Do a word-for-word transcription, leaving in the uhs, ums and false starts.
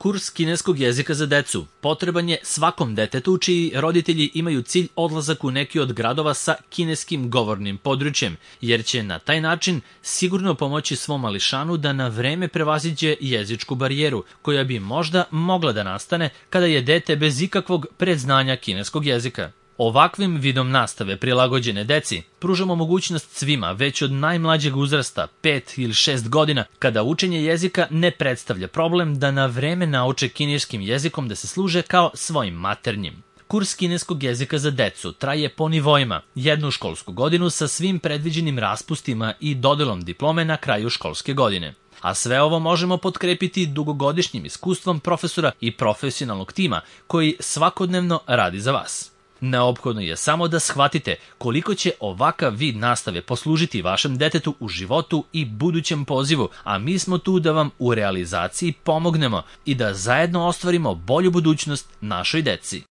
Kurs kineskog jezika za decu potreban je svakom detetu čiji roditelji imaju cilj odlazak u neki od gradova sa kineskim govornim područjem, jer će na taj način sigurno pomoći svom mališanu da na vreme prevaziđe jezičku barijeru, koja bi možda mogla da nastane kada je dete bez ikakvog predznanja kineskog jezika. Ovakvim vidom nastave prilagođene deci pružamo mogućnost svima već od najmlađeg uzrasta, pet ili šest godina, kada učenje jezika ne predstavlja problem, da na vreme nauče kineskim jezikom da se služe kao svojim maternjim. Kurs kineskog jezika za decu traje po nivoima, jednu školsku godinu sa svim predviđenim raspustima i dodelom diplome na kraju školske godine. A sve ovo možemo potkrepiti dugogodišnjim iskustvom profesora i profesionalnog tima koji svakodnevno radi za vas. Neophodno je samo da shvatite koliko će ovakav vid nastave poslužiti vašem detetu u životu i budućem pozivu, a mi smo tu da vam u realizaciji pomognemo i da zajedno ostvarimo bolju budućnost našoj deci.